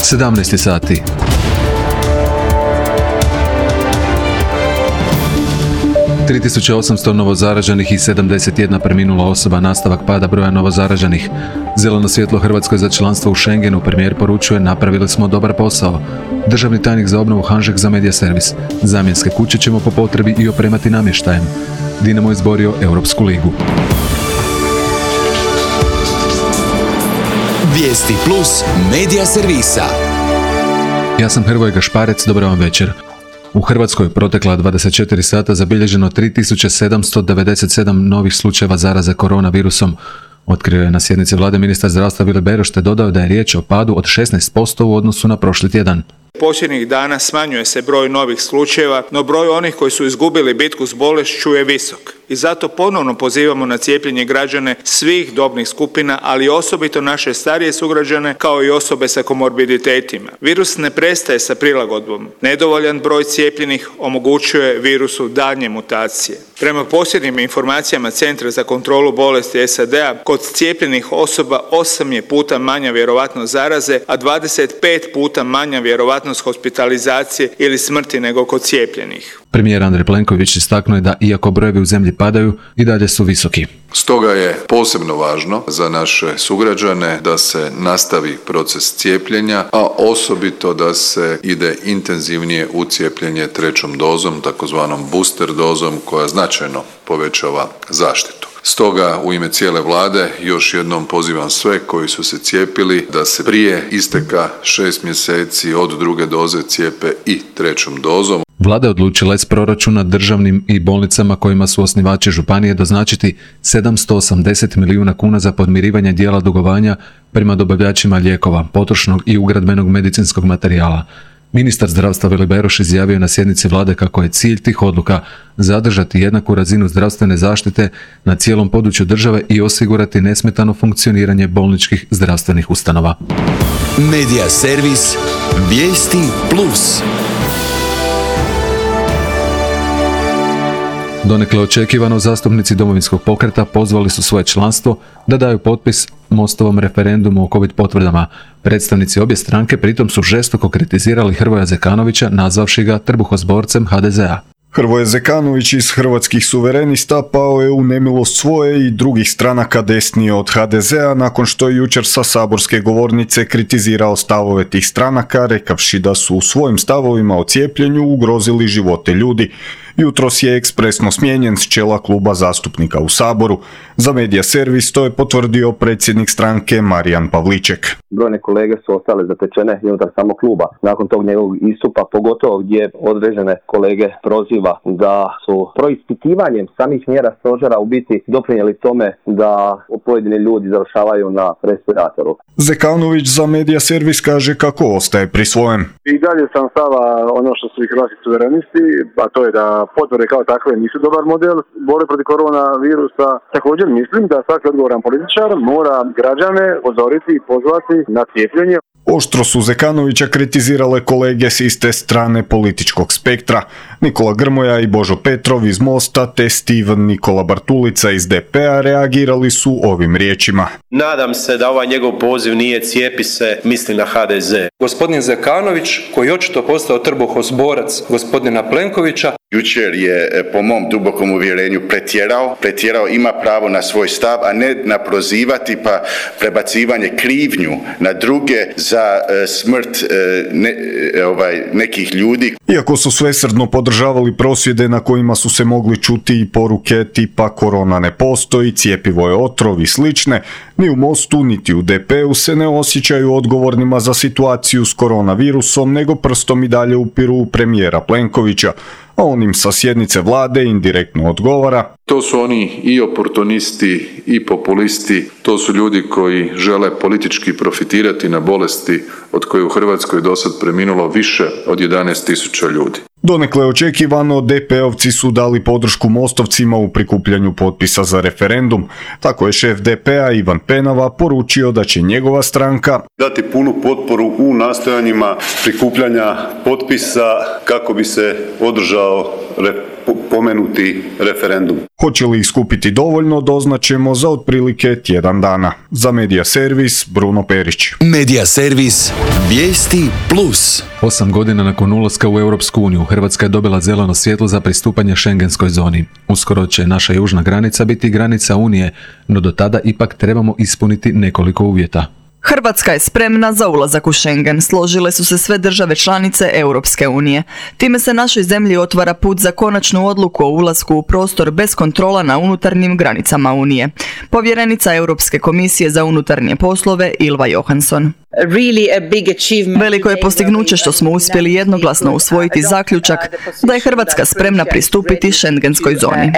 17 sati. ...3.800 novozaraženih i 71 preminula osoba, nastavak pada broja novozaraženih. Zeleno svjetlo Hrvatskoj za članstvo u Schengenu, premijer poručuje napravili smo dobar posao. Državni tajnik za obnovu Hanžek za Media Servis. Zamjenske kuće ćemo po potrebi i opremati namještajem. Dinamo izborio Europsku ligu. Vijesti plus Media Servisa. Ja sam Hrvoje Gašparec, dobar vam večer. U Hrvatskoj protekla 24 sata zabilježeno 3.797 novih slučajeva zaraze koronavirusom. Otkrio je na sjednici vlade ministar zdravstva Vili Beroš te dodao da je riječ o padu od 16% u odnosu na prošli tjedan. Posljednjih dana smanjuje se broj novih slučajeva, no broj onih koji su izgubili bitku s bolešću je visok. I zato ponovno pozivamo na cijepljenje građane svih dobnih skupina, ali osobito naše starije sugrađane kao i osobe sa komorbiditetima. Virus ne prestaje sa prilagodbom. Nedovoljan broj cijepljenih omogućuje virusu daljnje mutacije. Prema posljednjim informacijama Centra za kontrolu bolesti SAD-a, kod cijepljenih osoba 8 je puta manja vjerovatnost zaraze, a 25 puta manja vjerovatnost hospitalizacije ili smrti nego kod cijepljenih. Premijer Andrej Plenković istaknuo je da iako brojevi u zemlji padaju, i dalje su visoki. Stoga je posebno važno za naše sugrađane da se nastavi proces cijepljenja, a osobito da se ide intenzivnije u cijepljenje trećom dozom, takozvanom booster dozom, koja značajno povećava zaštitu. Stoga u ime cijele vlade još jednom pozivam sve koji su se cijepili da se prije isteka 6 mjeseci od druge doze cijepe i trećom dozom. Vlada je odlučila iz proračuna državnim i bolnicama kojima su osnivači županije doznačiti 780 milijuna kuna za podmirivanje dijela dugovanja prema dobavljačima lijekova, potrošnog i ugradbenog medicinskog materijala. Ministar zdravstva Vili Beroš izjavio na sjednici vlade kako je cilj tih odluka zadržati jednaku razinu zdravstvene zaštite na cijelom području države i osigurati nesmetano funkcioniranje bolničkih zdravstvenih ustanova. Media Servis. Vijesti plus. Donekle očekivano, zastupnici Domovinskog pokreta pozvali su svoje članstvo da daju potpis Mostovom referendumu o COVID potvrdama. Predstavnici obje stranke pritom su žestoko kritizirali Hrvoja Zekanovića, nazvavši ga trbuhozborcem HDZ-a. Hrvoje Zekanović iz Hrvatskih suverenista pao je u nemilost svoje i drugih stranaka desnije od HDZ-a nakon što je jučer sa saborske govornice kritizirao stavove tih stranaka, rekavši da su u svojim stavovima o cijepljenju ugrozili živote ljudi. Jutros je ekspresno smijenjen s čela kluba zastupnika u Saboru. Za Media Servis to je potvrdio predsjednik stranke Marijan Pavliček. Brojne kolege su ostale zatečene i unutar samog kluba. Nakon tog njegovog istupa, pogotovo gdje određene kolege proziva da su proispitivanjem samih mjera stožera u biti doprinijeli tome da pojedini ljudi završavaju na respiratoru. Zekanović za Media Servis kaže kako ostaje pri svojem. I dalje sam stava ono što su i Hrvatski suverenisti, a to je da potvrde kao takve nisu dobar model borbe protiv koronavirusa. Također mislim da svaki odgovoran političar mora građane upozoriti i pozvati na cijepljenje. Oštro su Zekanovića kritizirale kolege s iste strane političkog spektra. Nikola Grmoja i Božo Petrov iz Mosta te Steven Nikola Bartulica iz DP-a reagirali su ovim riječima. Nadam se da ovaj njegov poziv nije cijepi se, misli na HDZ. Gospodin Zekanović, koji je očito postao trbuhozborac gospodina Plenkovića, jučer je po mom dubokom uvjerenju pretjerao, ima pravo na svoj stav, a ne na prozivati pa prebacivanje krivnju na druge za smrt nekih ljudi. Iako su svesrdno podržavali prosvjede na kojima su se mogli čuti i poruke tipa korona ne postoji, cjepivo je otrov i slične, ni u Mostu niti u DP-u se ne osjećaju odgovornima za situaciju s koronavirusom, nego prstom i dalje upiru u premijera Plenkovića, a on im sa sjednice vlade indirektno odgovara. To su oni i oportunisti i populisti, to su ljudi koji žele politički profitirati na bolesti od koje u Hrvatskoj dosad preminulo više od 11.000 ljudi. Donekle očekivano, DP-ovci su dali podršku Mostovcima u prikupljanju potpisa za referendum. Tako je šef DP-a Ivan Penava poručio da će njegova stranka dati punu potporu u nastojanjima prikupljanja potpisa kako bi se održao pomenuti referendum. Hoće li ih skupiti dovoljno, doznaćemo za otprilike tjedan dana. Za Medija Servis, Bruno Perić. Medija Servis, vijesti plus. 8 godina nakon ulaska u Europsku uniju, Hrvatska je dobila zeleno svjetlo za pristupanje šengenskoj zoni. Uskoro će naša južna granica biti granica Unije, no do tada ipak trebamo ispuniti nekoliko uvjeta. Hrvatska je spremna za ulazak u Schengen, složile su se sve države članice Europske unije. Time se našoj zemlji otvara put za konačnu odluku o ulasku u prostor bez kontrola na unutarnjim granicama Unije. Povjerenica Europske komisije za unutarnje poslove Ylva Johansson. Veliko je postignuće što smo uspjeli jednoglasno usvojiti zaključak da je Hrvatska spremna pristupiti šengenskoj zoni.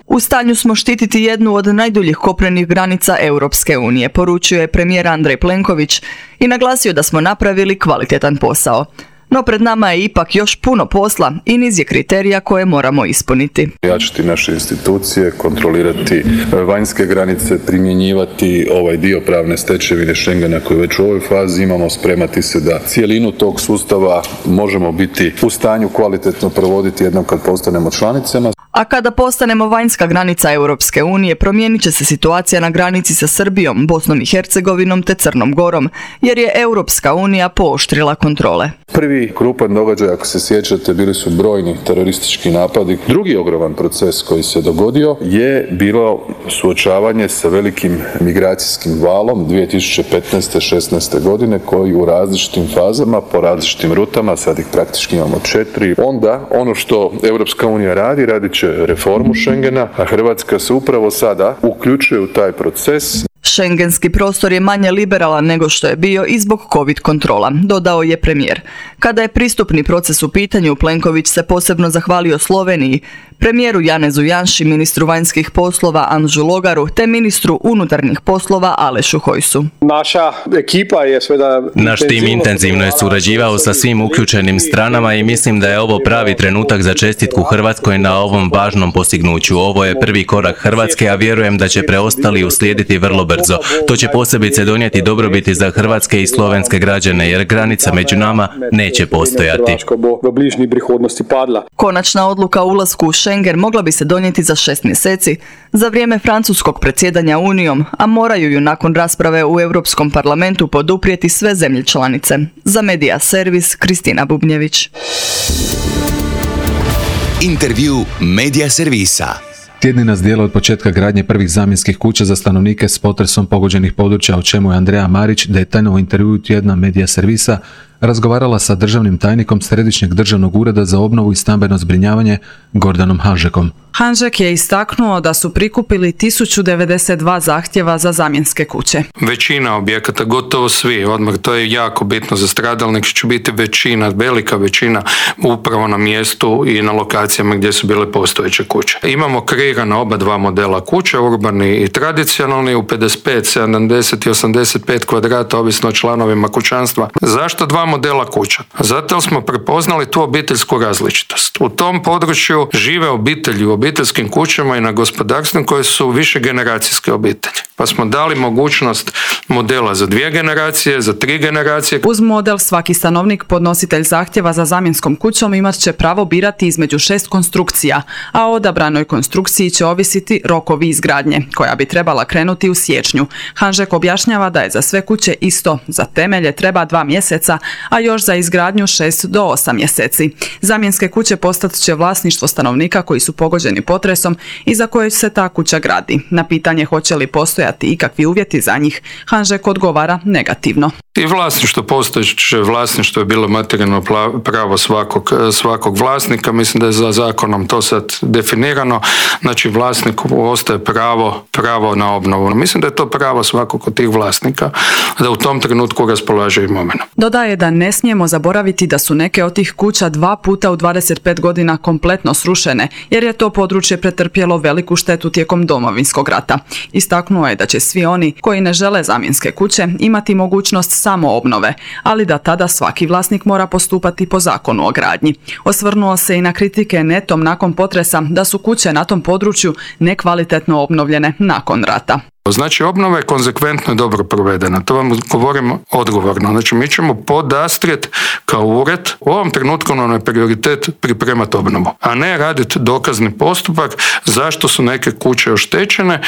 U stanju smo štititi jednu od najduljih kopnenih granica Europske unije, poručio je premijer Andrej Plenković i naglasio da smo napravili kvalitetan posao. No pred nama je ipak još puno posla i niz je kriterija koje moramo ispuniti. Jačati naše institucije, kontrolirati vanjske granice, primjenjivati ovaj dio pravne stečevine Schengena koji već u ovoj fazi imamo, spremati se da cijelinu tog sustava možemo biti u stanju kvalitetno provoditi jednom kad postanemo članicama. A kada postanemo vanjska granica Europske unije, promijenit će se situacija na granici sa Srbijom, Bosnom i Hercegovinom te Crnom Gorom, jer je Europska unija pooštrila kontrole. Prvi krupan događaj, ako se sjećate, bili su brojni teroristički napadi. Drugi ogroman proces koji se dogodio je bilo suočavanje sa velikim migracijskim valom 2015-16. godine koji u različitim fazama, po različitim rutama, sad ih praktički imamo 4. Onda ono što Europska unija radit će reformu Schengena, a Hrvatska se upravo sada uključuje u taj proces. Schengenski prostor je manje liberalan nego što je bio i zbog COVID kontrola, dodao je premijer. Kada je pristupni proces u pitanju, Plenković se posebno zahvalio Sloveniji, premijeru Janezu Janši, ministru vanjskih poslova Anžu Logaru te ministru unutarnjih poslova Alešu Hojsu. Naš tim intenzivno je surađivao sa svim uključenim stranama i mislim da je ovo pravi trenutak za čestitku Hrvatskoj na ovom važnom postignuću. Ovo je prvi korak Hrvatske, a vjerujem da će preostali uslijediti vrlo brzo. To će posebice donijeti dobrobiti za hrvatske i slovenske građane, jer granica među nama neće postojati. Konačna odluka o ulasku u Schengen mogla bi se donijeti za 6 mjeseci, za vrijeme francuskog predsjedanja Unijom, a moraju ju nakon rasprave u Europskom parlamentu poduprijeti sve zemlje članice. Za Medija Servis, Kristina Bubnjević. Intervju Medija Servisa. Tjedni nas dijele od početka gradnje prvih zamjenskih kuća za stanovnike s potresom pogođenih područja, o čemu je Andreja Marić detaljno u intervjuu tjedna Medija Servisa razgovarala sa državnim tajnikom Središnjeg državnog ureda za obnovu i stambeno zbrinjavanje Gordanom Hanžekom. Hanžek je istaknuo da su prikupili 1092 zahtjeva za zamjenske kuće. Većina objekata, gotovo svi, odmah to je jako bitno za stradalnike, će biti većina, velika većina upravo na mjestu i na lokacijama gdje su bile postojeće kuće. Imamo kreirana oba dva modela kuće, urbani i tradicionalni, u 55, 70 i 85 kvadrata, ovisno o članovima kućanstva. Zašto dva modela kuća? Zato smo prepoznali tu obiteljsku različitost. U tom području žive obitelji u obiteljskim kućama i na gospodarstvu koje su više generacijske obitelji. Pa smo dali mogućnost modela za 2 generacije, za 3 generacije. Uz model svaki stanovnik podnositelj zahtjeva za zamjenskom kućom imat će pravo birati između 6 konstrukcija, a o odabranoj konstrukciji će ovisiti rokovi izgradnje, koja bi trebala krenuti u siječnju. Hanžek objašnjava da je za sve kuće isto, za temelje treba 2 mjeseca, a još za izgradnju 6 do 8 mjeseci. Zamjenske kuće postat će vlasništvo stanovnika koji su pogođeni potresom i za koje se ta kuća gradi. Na pitanje hoće li postojati ikakvi uvjeti za njih, Hanžek odgovara negativno. I vlasništvo, postojeće vlasništvo je bilo materijalno pravo svakog vlasnika, mislim da je za zakonom to sad definirano, znači vlasniku ostaje pravo na obnovu. Mislim da je to pravo svakog od tih vlasnika da u tom trenutku raspolaže imovinom. Dodaje da ne smijemo zaboraviti da su neke od tih kuća 2 puta u 25 godina kompletno srušene, jer je to područje pretrpjelo veliku štetu tijekom Domovinskog rata. Istaknuo je da će svi oni koji ne žele zamjenske kuće imati mogućnost samo obnove, ali da tada svaki vlasnik mora postupati po zakonu o gradnji. Osvrnuo se i na kritike netom nakon potresa da su kuće na tom području nekvalitetno obnovljene nakon rata. Znači, obnova je konzekventno i dobro provedena. To vam govorimo odgovorno. Znači, mi ćemo podastrijeti kao ured. U ovom trenutku nam je prioritet pripremati obnovu, a ne raditi dokazni postupak zašto su neke kuće oštećene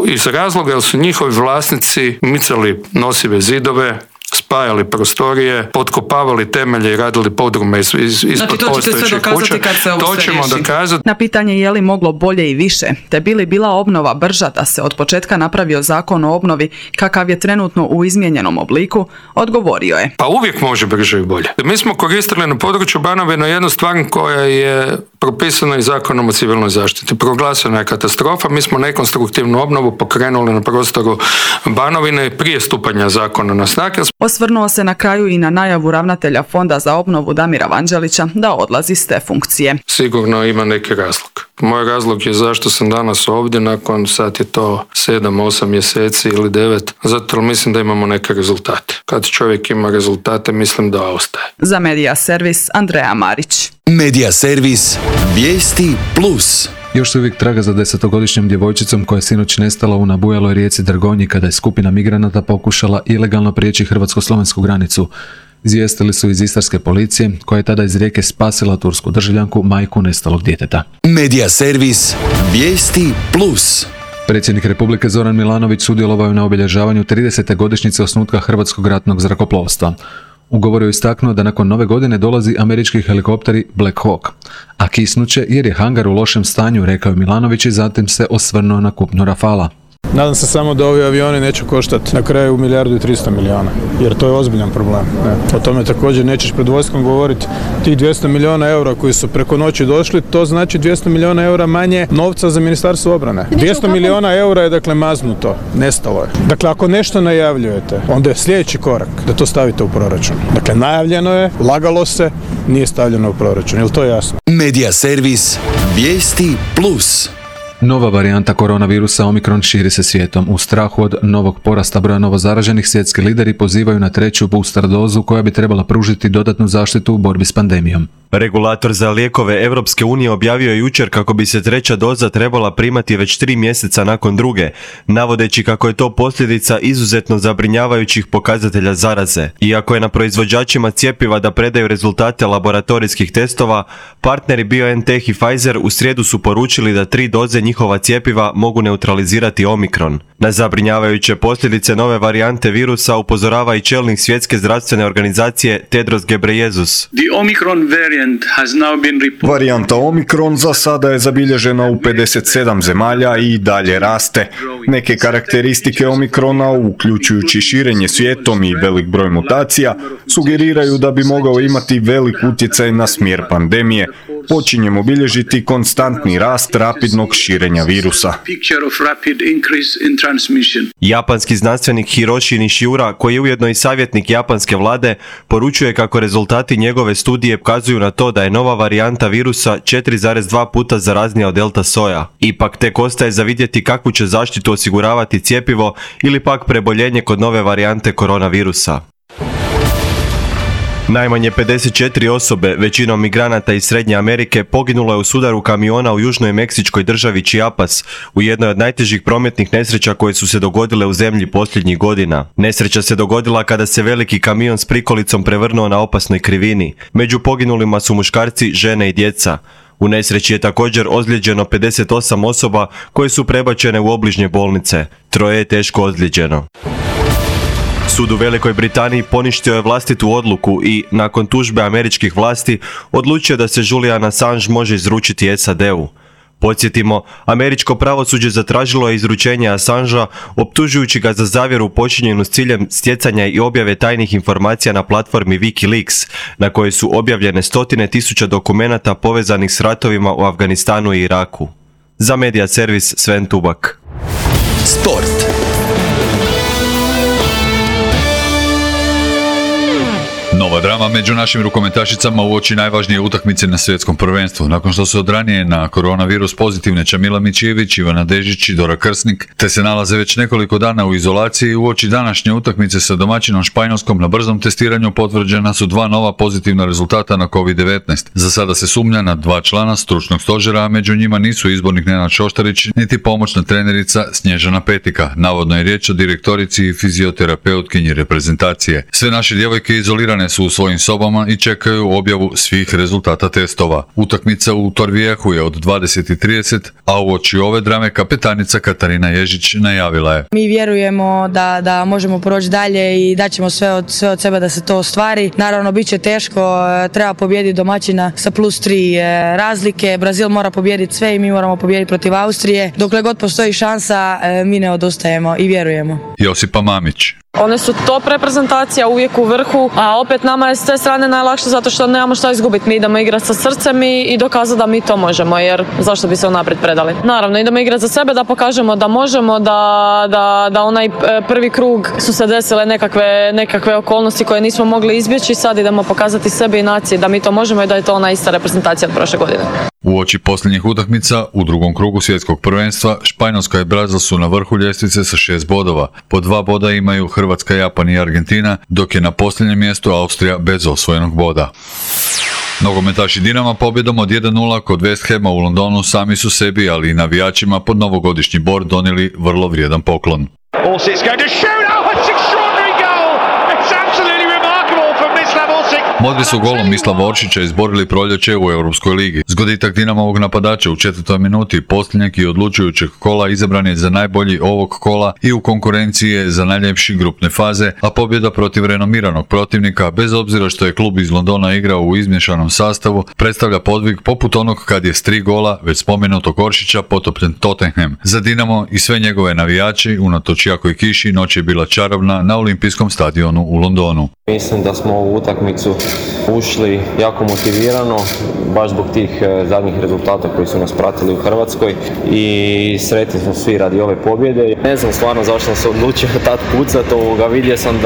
iz razloga jer su njihovi vlasnici micali nosive zidove, spajali prostorije, potkopavali temelje i radili podrume ispod postojećih kuća. To ćemo dokazati. Na pitanje je li moglo bolje i više, te bi li bila obnova brža da se od početka napravio zakon o obnovi kakav je trenutno u izmijenjenom obliku, odgovorio je. Pa uvijek može brže i bolje. Mi smo koristili na području Banovine jednu stvar koja je propisana i zakonom o civilnoj zaštiti. Proglašena je katastrofa, mi smo nekonstruktivnu obnovu pokrenuli na prostoru Banovine prije stupanja zakona na snagu. Osvrnuo se na kraju i na najavu ravnatelja Fonda za obnovu Damira Vanđelića da odlazi s te funkcije. Sigurno ima neki razlog. Moj razlog je zašto sam danas ovdje, nakon sad je to 7-8 mjeseci ili 9, zato jer mislim da imamo neke rezultate. Kad čovjek ima rezultate, mislim da ostaje. Za Medija servis Andreja Marić. Medija servis Vijesti Plus. Još se uvijek traga za 10-godišnjom djevojčicom koja je sinoć nestala u nabujaloj rijeci Dragonji kada je skupina migranata pokušala ilegalno prijeći hrvatsko-slovensku granicu. Izvijestili su iz istarske policije koja je tada iz rijeke spasila tursku državljanku, majku nestalog djeteta. Medija servis Vijesti Plus. Predsjednik Republike Zoran Milanović sudjelovao je na obilježavanju 30. godišnjice osnutka Hrvatskog ratnog zrakoplovstva. U govoru je istaknuo da nakon nove godine dolazi američki helikopteri Black Hawk, a kisnuće jer je hangar u lošem stanju, rekao je Milanović i zatim se osvrnuo na kupnju Rafala. Nadam se samo da ovi avioni neće koštati na kraju 1,3 milijarda, jer to je ozbiljan problem. O tome također nećeš pred vojskom govoriti. Tih 200 milijuna eura koji su preko noći došli, to znači 200 milijuna eura manje novca za Ministarstvo obrane. 200 milijuna eura je dakle maznuto, nestalo je. Dakle, ako nešto najavljujete, onda je sljedeći korak da to stavite u proračun. Dakle, najavljeno je, lagalo se, nije stavljeno u proračun. Je li to jasno? Medija servis Vijesti Plus. Nova varijanta koronavirusa Omikron širi se svijetom. U strahu od novog porasta broja novozaraženih svjetski lideri pozivaju na treću booster dozu koja bi trebala pružiti dodatnu zaštitu u borbi s pandemijom. Regulator za lijekove Europske unije objavio je jučer kako bi se treća doza trebala primati već 3 mjeseca nakon druge, navodeći kako je to posljedica izuzetno zabrinjavajućih pokazatelja zaraze. Iako je na proizvođačima cjepiva da predaju rezultate laboratorijskih testova, partneri BioNTech i Pfizer u srijedu su poručili da 3 doze njihova cjepiva mogu neutralizirati Omikron. Na zabrinjavajuće posljedice nove varijante virusa upozorava i čelnik Svjetske zdravstvene organizacije Tedros Ghebreyesus. Varijanta Omikron za sada je zabilježena u 57 zemalja i dalje raste. Neke karakteristike Omikrona, uključujući širenje svijetom i velik broj mutacija, sugeriraju da bi mogao imati velik utjecaj na smjer pandemije. Počinjemo bilježiti konstantni rast rapidnog širenja virusa. Japanski znanstvenik Hiroshi Nishiura, koji je ujedno i savjetnik japanske vlade, poručuje kako rezultati njegove studije ukazuju na to da je nova varijanta virusa 4,2 puta zaraznija od delta soja. Ipak tek ostaje za vidjeti kakvu će zaštitu osiguravati cjepivo ili pak preboljenje kod nove varijante koronavirusa. Najmanje 54 osobe, većinom migranata iz Srednje Amerike, poginulo je u sudaru kamiona u južnoj meksičkoj državi Chiapas, u jednoj od najtežih prometnih nesreća koje su se dogodile u zemlji posljednjih godina. Nesreća se dogodila kada se veliki kamion s prikolicom prevrnuo na opasnoj krivini. Među poginulima su muškarci, žene i djeca. U nesreći je također ozlijeđeno 58 osoba koje su prebačene u obližnje bolnice. 3 je teško ozlijeđeno. Sud u Velikoj Britaniji poništio je vlastitu odluku i, nakon tužbe američkih vlasti, odlučio da se Julian Assange može izručiti SAD-u. Podsjetimo, američko pravosuđe zatražilo je izručenje Assangea, optužujući ga za zavjeru počinjenu s ciljem stjecanja i objave tajnih informacija na platformi Wikileaks, na kojoj su objavljene 100.000 dokumenata povezanih s ratovima u Afganistanu i Iraku. Za Medija servis Sven Tubak. Sport. Nova drama među našim rukometašicama uoči najvažnije utakmice na svjetskom prvenstvu. Nakon što su od ranije na koronavirus pozitivne Čamila Mićijević, Ivana Dežić i Dora Krsnik, te se nalaze već nekoliko dana u izolaciji, uoči današnje utakmice sa domaćinom Španjolskom na brzom testiranju potvrđena su 2 nova pozitivna rezultata na COVID-19. Za sada se sumnja na 2 člana stručnog stožera, a među njima nisu izbornik Nenad Šoštarić, niti pomoćna trenerica Snježana Petika. Navodno je riječ o direktorici i fizioterapeutkinji reprezentacije. Sve naše djevojke izolirane su u svojim sobama i čekaju objavu svih rezultata testova. Utakmica u Torvijehu je od 20:30, a uoči ove drame kapetanica Katarina Ježić najavila je: Mi vjerujemo da možemo proći dalje i daćemo sve od sebe da se to ostvari. Naravno, bit će teško, treba pobijediti domaćina sa +3 razlike. Brazil mora pobijediti sve i mi moramo pobijediti protiv Austrije. Dokle god postoji šansa, mi ne odustajemo i vjerujemo. Josipa Mamić. One su top reprezentacija, uvijek u vrhu, a opet nama je s te strane najlakše zato što nemamo šta izgubiti. Mi idemo igrati sa srcem i dokazati da mi to možemo, jer zašto bi se unaprijed predali. Naravno, idemo igrati za sebe, da pokažemo da možemo, da onaj prvi krug su se desile nekakve okolnosti koje nismo mogli izbjeći. Sad idemo pokazati sebi i naciji da mi to možemo i da je to ona ista reprezentacija od prošle godine. Uoči posljednjih utakmica u drugom krugu svjetskog prvenstva Španjolska i Brazil su na vrhu ljestvice sa 6 bodova. Po 2 boda imaju Hrvatska, Japan i Argentina, dok je na posljednjem mjestu Austrija bez osvojenog boda. Nogometaši Dinama pobjedom od 1:0 kod West Hama u Londonu sami su sebi, ali i navijačima pod novogodišnji bord donijeli vrlo vrijedan poklon. Modri su golom Mislava Oršića izborili proljeće u Europskoj ligi. Zgoditak Dinamovog napadača u 4. minuti posljednjeg i odlučujućeg kola izabran je za najbolji ovog kola i u konkurenciji je za najljepši grupne faze, a pobjeda protiv renomiranog protivnika, bez obzira što je klub iz Londona igrao u izmješanom sastavu, predstavlja podvig poput onog kad je s 3 gola već spomenutog Oršića potopljen Tottenham. Za Dinamo i sve njegove navijači, unatoč jakoj kiši, noć je bila čarobna na Olimpijskom stadionu u Londonu. Mislim da smo u utakmicu ušli jako motivirano, baš zbog tih zadnjih rezultata koji su nas pratili u Hrvatskoj i sretni smo svi radi ove pobjede. Ne znam stvarno zašto sam se odlučio tad pucat, vidio sam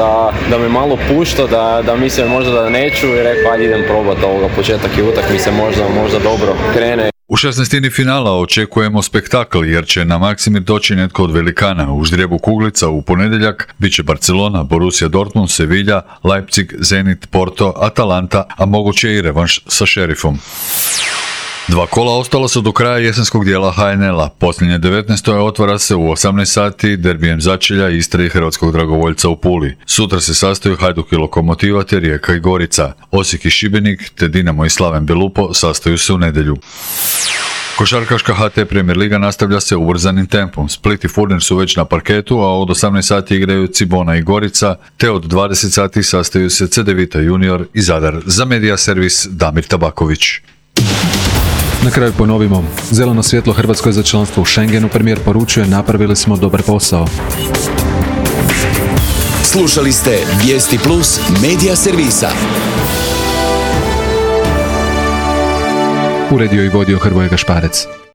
da me malo pušta, da mislim možda da neću i rekao ajde idem probati početak i utakmice možda dobro krene. U 16. finala očekujemo spektakl jer će na Maksimir doći netko od velikana. U ždrijebu kuglica u ponedjeljak bit će Barcelona, Borussia Dortmund, Sevilla, Leipzig, Zenit, Porto, Atalanta, a moguće i revanš sa Šerifom. 2 kola ostala su do kraja jesenskog dijela HNL-a. Posljednje 19. otvara se u 18 sati derbijem Začelja, Istre i Hrvatskog dragovoljca u Puli. Sutra se sastaju Hajduk i Lokomotiva te Rijeka i Gorica. Osijek i Šibenik te Dinamo i Slaven Belupo sastaju se u nedjelju. Košarkaška HT Premier Liga nastavlja se ubrzanim tempom. Split i Furner su već na parketu, a od 18 sati igraju Cibona i Gorica, te od 20 sati sastaju se Cedevita Junior i Zadar. Za Medija servis Damir Tabaković. Na kraju ponovimo. Zeleno svjetlo Hrvatskoj za članstvo u Schengenu. Premijer poručuje: napravili smo dobar posao. Slušali ste Vijesti Plus Medija servisa. Uredio i vodio Hrvoje Gašparec.